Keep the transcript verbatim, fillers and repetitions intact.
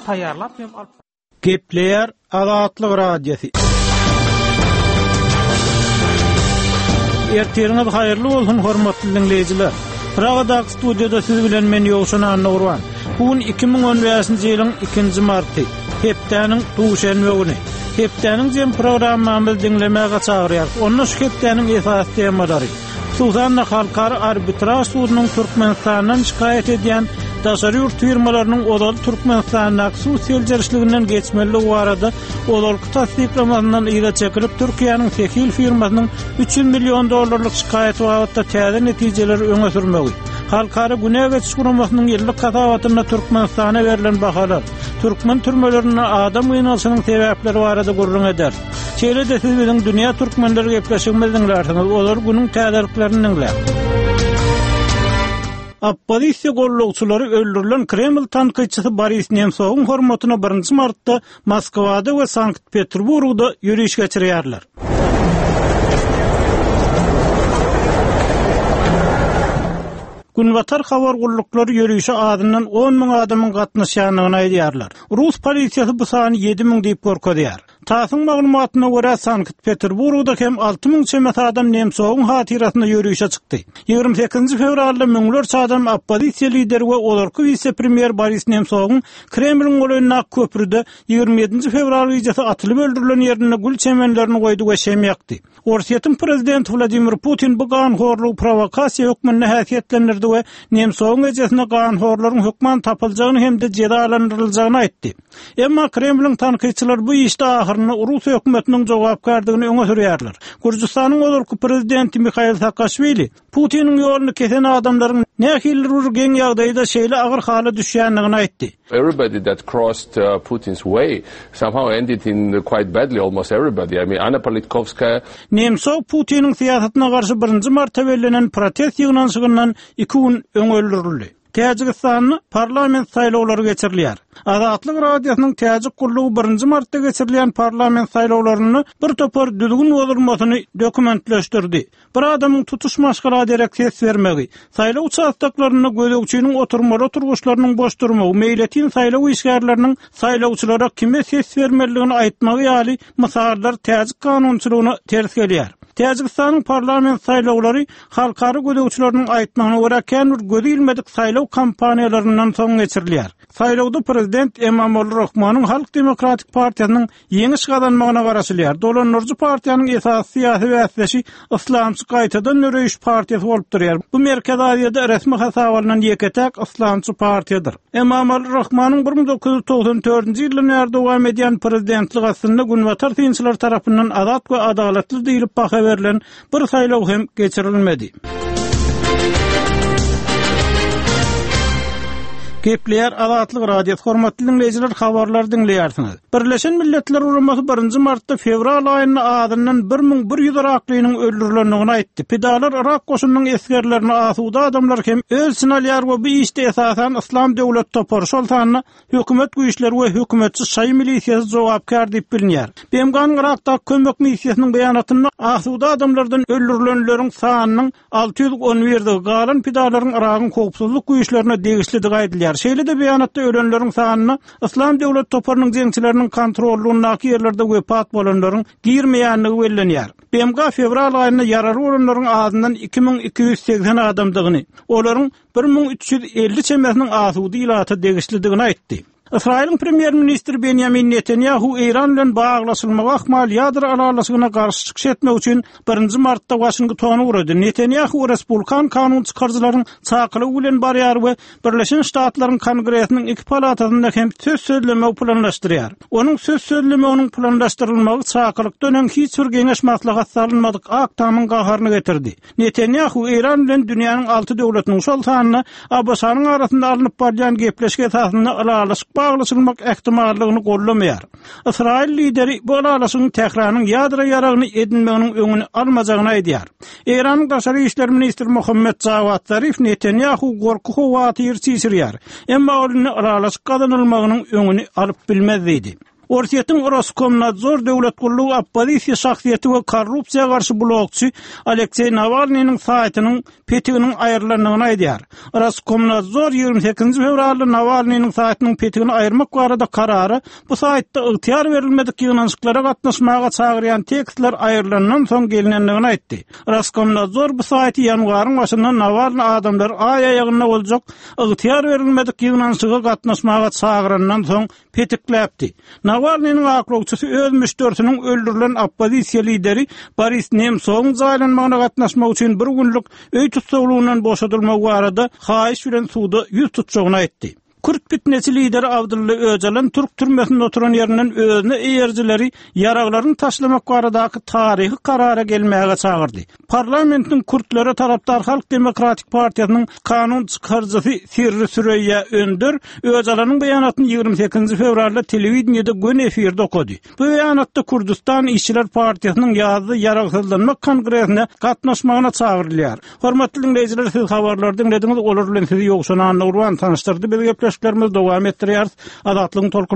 taýýarlap hem alyp Gepleýär Azatlyk Radiosy. Ertiriňiz haýyrly bolsun hormatly dinleýjiler. Pragadaky studiýada siz bilen men Ýowşan Annagurban. Bu gün iki müň on bäşinji ýylyň ikinji marty, hepdäniň duşenbe güni. Hepdäniň jem programmamyzy diňlemäge çagyrýarys. Onda şu hepdäniň esasy temalary, hususan-da Halkara Arbitraž sudunyň Türkmenistandan şikaýat edýän daşary ýurt firmalarynyň ozal Türkmenistandaky suw seljerişliginden geçmeligi barada ozalky tassyklamasyndan yza çekilip Türkiýäniň Sehil firmasynyň üç ýüz million dollarlyk şikaýaty babatda täze netijeleri öňe sürmegi, Halkara Günä Geçiş Guramasynyň ýyllyk hasabatynda Türkmenistana berlen bahalar, türkmen türmelerinde adam gynalyşynyň sebäpleri barada gürrüň eder. Şeýle-de siz biziň Dünýä Türkmenleri gepleşigimizi diňlärsiňiz, olar günüň täzeliklerini diňlär. Oppozisiýa gollagçylary öldürilen Kreml tankytçysy Boris Nemsowyň hormatyna birinji martda Moskwada we Sankt-Peterburgda ýöriş geçirýärler. Günbatar habar gulluklary ýörişe azyndan on müň adamyň gatnaşýandygyny aýdýarlar. Rus polisiýasy bu sany ýedi müň diýip görkezýär. TASS-yň maglumatyna görä Sankt-Peterburgda hem alty müň çemesi adam Nemsowyň hatyrasyna ýörişe çykdy. Ýigrimi sekizinji fewralda müňlerçe adam oppozisiýa lideri we ozalky wise-premýer Boris Nemsowyň Kremliň golaýyndaky köprüde ýigrimi ýedinji fewral gijesi atylyp öldürilen ýerinde gül çemenlerini goýdy we şem ýakdy. Orsýetiň prezidenti Vladimir Putin bu ganhorlugy provokasiýa hökmünde häsiýetlendirdi we Nemsowyň ejesine ganhorlaryň hökman tapyljagyny hem-de jezalandyryljagyny aýtdy. Emma Kremliň tankytçylary bu işde ahyrynda Rus hökümetiniň jogapkärdigini öňe sürýärler. Gürjüstanyň ozalky prezidenti Mikhail Saakaşwili Putiniň ýoluny kesen adamlaryň nähili bir geň ýagdaýda şeýle agyr hala düşýändigini aýtdy. Everybody that crossed, uh, Putin's way somehow ended in quite badly, almost everybody. I mean, Anna Politkovskaya. Nemsov Putiniň syýasatyna garşy birinji marta bellenen protest ýygnanyşygyndan iki gün öň öldürildi. Täjigistanda parlament saýlawlary geçirilýär. Azatlyk Radiosynyň Täjik gullugy birinji martda geçirilýän parlament saýlawlarynda bir topar düzgün bozulmasyny dokumentleşdirdi. Bir adamyň tutuş maşgala derek ses bermegi, saýlaw uçastaklarynda gözegçiniň oturmaly oturgyçlarynyň boş durmagy, meýletin saýlaw işgärleriniň saýlawçylara kime ses bermelidigini aýtmagy ýaly mysallar Täjik kanunçylygyna ters gelýär. Täjigistanyň parlament saýlawlary halkara gözegçileriniň aýtmagyna görä kän bir gözi ilmedik saýlaw kampaniýalaryndan soň geçirilýär. Saýlawda prezident Emomali Rahmonyň Halk Demokratik Partiýasynyň ýeňiş gazanmagyna garaşylýar. Dolandyryjy partiýanyň esasy syýasy bäsdeşi Islamçy gaýtadan döreýiş partiýasy bolup durýar. Bu Merkezi Aziýada resmi hasaba alnan ýeke-täk Islamçy partiýadyr. Emomali Rahmonyň bir müň dokuz ýüz togsan dördünji ýyldan bäri dowam edýän prezidentlik aslynda Günbatar synçylar tarapyndan azat we adalatly diýilip baha berlen bir saýlaw hem geçirilmedi. Gepleýär Azatlyk Radiosy, hormatly dinleýjiler, habarlar diňleýärsiňiz. Birleşen Milletler Guramasy birinji martda fewral aýynda azyndan bir müň bir ýüz Iraklynyň öldürilendigini aýtdy. Pidalar Irak goşunynyň esgerlerini asuda adamlar hem öz içine alýar we bu işde esasan Islam döwlet topary, şol sanda hökümet güýçleri we hökümetçi şaýy milisiýasy jogapkär diýip bilinýär. B M G-nyň Irakdaky kömek missiýasynyň beýanatynda asuda adamlardan öldürilenleriň sanynyň alty ýüz on birdigi, galan pidalaryň Iragyň howpsuzlyk güýçlerine degişlidigi aýdylýar. Şeýle-de beýanatda ölenleriň sanyna Islam döwlet toparynyň jeňçileriniň kontrollugyndaky ýerlerde wepat bolanlaryň girmeýändigi bellenýär. B M G fewral aýynda ýaraly bolanlaryň azyndan iki müň iki ýüz segsen adamdygyny, olaryň bir müň üç ýüz elli çemesiniň asuda ilata degişlidigini aýtdy. Ysraýylyň premýer-ministri Benjamin Netanyahu Eýran bilen baglaşylmagy ahmal ýadro ylalaşygyna garşy çykyş etmek üçin birinji martda Waşingtona ugrady. Netanyahu Respublikan kanun çykaryjylaryň çakylygy bilen barýar we Birleşen Ştatlaryň Kongresiniň iki palatasynda hem söz sözlemegi planlaşdyrýar. Onuň söz sözlemeginiň planlaşdyrylmagy çakylykdan öň hiç bir geňeş maslahat salynmadyk Ak Tamyň gaharyny getirdi. Netanyahu Eýran bilen dünýäniň alty döwletiniň şol sanda A B Ş-nyň arasynda alnyp barýan gepleşik esasynda ylalaşyk baglaşylmak ähtimallygyny gollamaýar. Ysraýyl lideri bu ylalaşygyň Tähranyň ýadro ýaragyny edinmeginiň öňüni almajagyny aýdýar. Eýranyň daşary işler ministri Muhammed Jawad Zarif Netanyahu gorky howatyr çişirýär. Emma ol indi ylalaşyk gazanylmagynyň öňüni alyp bilmez diýdi. Orsýetiň Roskomnadzor döwlet gullugy oppozisiýa şahsyýeti we korrupsiýa garşy blogçy Alekseý Nawalnynyň saýtynyň petiginiň aýrylandygyny aýdýar. Roskomnadzor ýigrimi sekizinji fewralda Nawalnynyň saýtynyň petigini aýyrmak barada karara bu saýtda ygtyýar berilmedik ýygnanyşyklara gatnaşmaga çagyrýan tekstler aýrylandan soň gelinendigini aýtdy. Roskomnadzor bu saýty ýanwaryň başynda Nawalny adamlar aý aýagynda boljak ygtyýar berilmedik ýygnanyşyga gatnaşmaga çagyrandan soň petikläpdi. Nawalnynyň aklawçysy öz müşderisiniň öldürilen oppozisiýa lideri Boris Nemsowyň jaýlanmagyna gatnaşmak üçin bir günlük öý tussaglygyndan boşadylmagy barada haýyş bilen suda ýüz tutjagyny aýtdy. Kürt pitneçi lideri Abdylla Öjalan türk türmesinde oturan ýerinden özüne eýerijileri ýaraglaryny taşlamak baradaky taryhy karara gelmäge çagyrdy. Parlamentiň kürtlere tarapdar Halk demokratik partiýasynyň kanun çykaryjysy Sirri Süreýýa Önder Öjalanyň beýanatyny ýigrimi sekizinji fewralda telewideniýede göni efirde okady. Bu beýanatda Kürdüstan işçiler partiýasynyň ýazda ýaragsyzlanmak kongresine gatnaşmagyna çagyrylýar. Hormatly diňleýjiler, siz habarlary diňlediňiz, olar bilen sizi Ýowşan Annagurban tanyşdyrdy. Biz gepleşiklerimizi dowam etdirýäris. Azatlygyň tolkun